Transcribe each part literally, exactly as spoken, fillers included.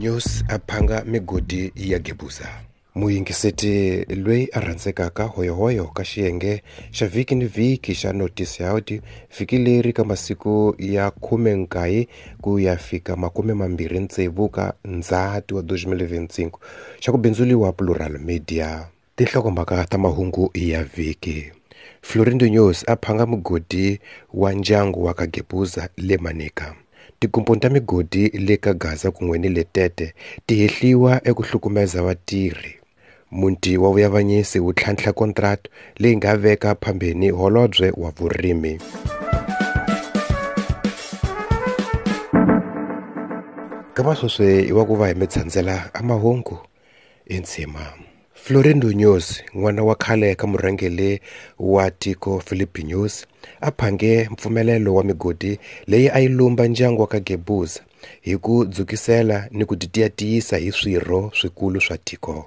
News a phanga migodi ya Gebuza. Muyingiseti loyi a rhandzekaka hoyohoyo ka xiyenge xa vhiki ni vhiki xa Noticias vhiki leri ka masiku ya khume nkaye ku ya fika makume mambirhi tsevu ka Ndzhati wa twenty twenty-five xa ku bindzuriwa Plural Media. Tinhlokomhaka ta mahungu ya vhiki. Florindo News a phanga mugodi wa ndyangu wa ka Gebuza le Manica. Tikomponi ta migodi le ka Gaza kun'we ni le Tete ti hehliwa eku hlukumeza vatirhi. Muti wa vuyavanyisi wu tlhantlha contract leyi nga veka phambeni holobye wa vurimi. Kama sweswi i wa ku va hi mi tshandzela a mahungu entsima. Florindo News, n'wana wa khale ka murhangeri wa tiko Philip News, a phange mpfumelelo wa migodi leyi a yi lumba ndyangu wa ka Gebuza hi ku dzukisela ni ku titiyatiyisa hi swirho swikulu swa tiko.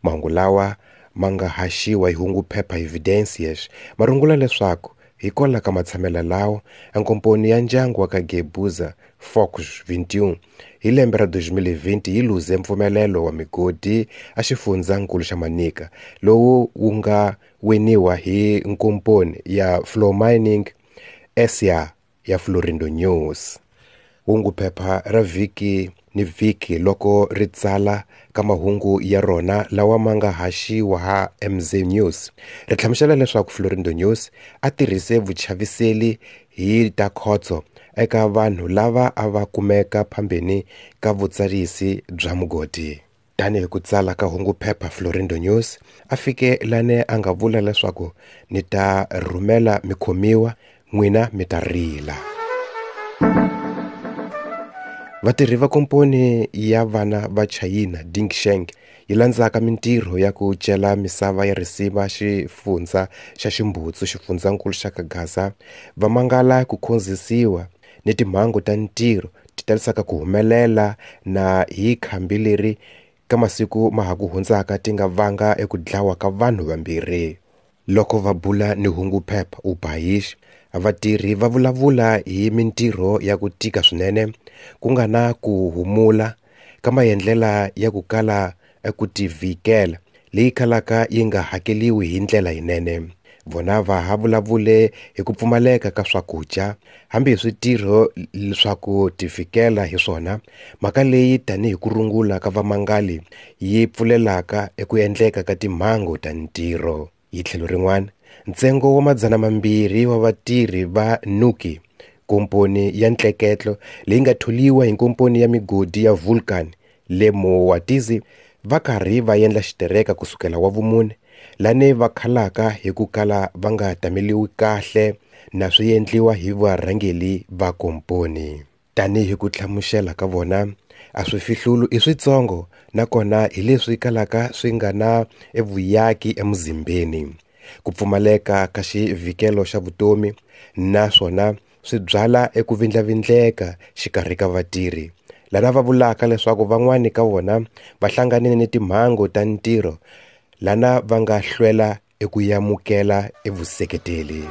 Mahungu lawa ma nga haxiwa hi hungu phepha Evidencias ma rungula leswaku hikwalaho ka matshamelo lawa a nkomponi ya ndyangu wa ka Gebuza Fox twenty-one hi lembe ra twenty twenty yi luze mpfumelelo wa migodi a xifundzankulu xa Manica lowu wu nga winiwa hi nkomponi ya Flow Mining S A ya Florindo News. Hungu phepha ra vhiki ni vhiki loko ri tsala ka mahungu ya rona lawa ma nga haxiwa ha M Z News ri hlamusela leswaku Florindo News a tirhise vuchaviseli hi ta khotso eka vanhu lava a va kumeka phambeni ka vutsarisi bya mugodi. Tanihi ku tsala ka hungu phepha Florindo News a fike lane a nga vula leswaku ni ta rhumela mikhomiwa n'wina mi ta rila. Vatirhi va komponi ya vana va Chayina Dingsheng yi landzaka mintirho ya ku cela misava ya risima xifundza xa Ximbutsu xifundzankulu xa ka Gaza va mangala ku khonzisiwa ni timhangu ta ntirho ti talisaka ku humelela na hi khambi leri ka masiku ma ha ku hundzaka ti nga vanga eku dlawa ka vanhu vambirhi. Loko va bula ni hungu phepha ubayish vatirhi va vulavula hi mintirho ya ku tika swinene ku nga na ku humula ka maendlela ya ku kala eku tivikela leyi kalaka yi nga hakeliwi hi ndlela yinene. Vona va ha vulavule hi ku pfumaleka ka swakudya hambi hi switirho swa ku tivikela hi swona, mhaka leyi tanihi ku rungula ka vamangali yi pfulelaka eku endleka ka timhangu ta ntirho. Hi tlhelo rin'wana, ntsengo wa madzana mambirhi wa vatirhi va Nuki, komponi ya ntleketlo leyi nga tholiwa hi nkomponi ya migodi ya Vulcan le Moatize va karhi va endla xitereka kusukela wa vumune lane va khalaka hi ku kala va nga tameliwi kahle na swi endliwa hi varhangeri va komponi. Tanihi ku hlamusela ka vona a swi fihlulu i switsongo nakona hi leswi kalaka swi nga na evuyaki emuzimbeni. Ku pfumaleka ka xivhikelo xa vutomi naswona swi byala eku vindlavindleka xikarhi ka vatirhi lana va vulaka leswaku van'wani ka vona va hlanganile ni timhangu ta ntirho lana va nga hlwela eku yamukela evuseketeli.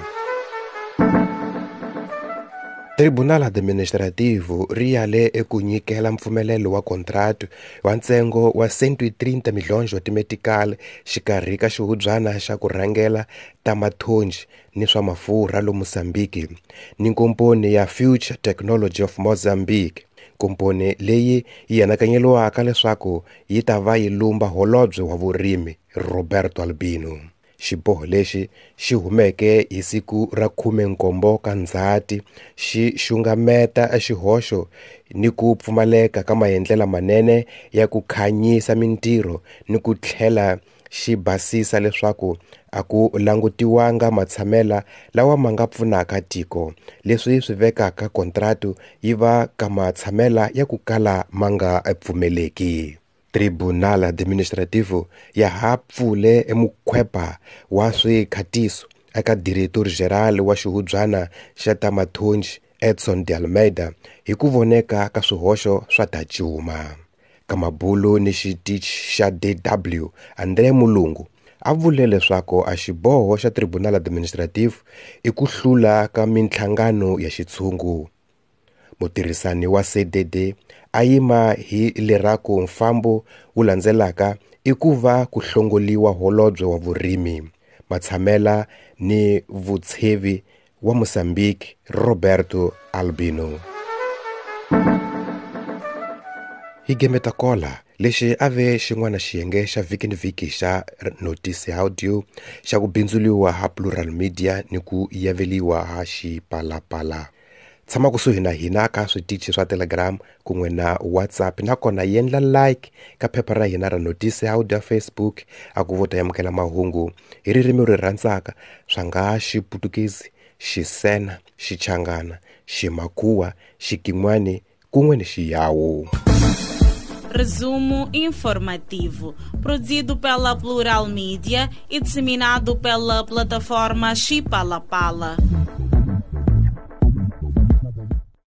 Tribunal Administrativo ri yale eku nyikela mpfumelelo wa contract wa ntsengo wa cento e trinta milhões wa timetical xikarhi ka xihubyana xa ku rhangela ta mathonji ni swa mafurha lo Mozambique ni nkomponi ya Future Technology of Mozambique, komponi leyi yi anakanyeliwaka leswaku yi ta va yi lumba holobye wa vurimi Roberto Albino. Xiboho lexi xi humeke hi siku ra khume nkombo ka Ndzhati xi xungameta xihoxo ni ku pfumaleka ka maendlela manene ya ku khanyisa mintirho ni ku tlhela xi basisa leswaku a ku langutiwanga matshamela lawa ma nga pfunaka tiko, leswi swi vekaka kontratu yi va ka matshamela ya ku kala ma nga pfumeleki. Tribunal Administrativo ya ha pfule emukhwepa wa swikhatiso eka Diretor Geral wa xihubyana xa ta mathonji Edson de Almeida hi ku voneka ka swihoxo swa ta cuma. Ka mabulu ni xitichi xa D W André Mulungu a vule leswaku a xiboho xa Tribunal Administrativo i ku hlula ka minhlangano ya xitshungu. Mutirhisani wa C D D a yima hi leraku mfambo wu landzelaka i ku va ku hlongoliwa holobye wa vurimi, matshamela ni vutshevi wa Mozambique Roberto Albino. Hi gemeta kola lexi a ve xin'wana xiyenge xa vhiki ni vhiki xa Notice Audio xa ku bindzuliwa ha Plural Media ni ku yaveliwa ha Xipalapala. Tshama kusuhi na hina ka switichi swa Telegram kun'we na WhatsApp, nakona yendla like ka phepha ra hina ra Notice Audio Facebook a ku vota yamukela mahungu hi ririmi ri rhandzaka swa nga Xiputukezi, Xisena, Xichangana, Ximakhuwa, Xikin'wani kun'we ni Xiyawu. Resumo informativo, produzido pela Plural Media e disseminado pela plataforma Xipalapala.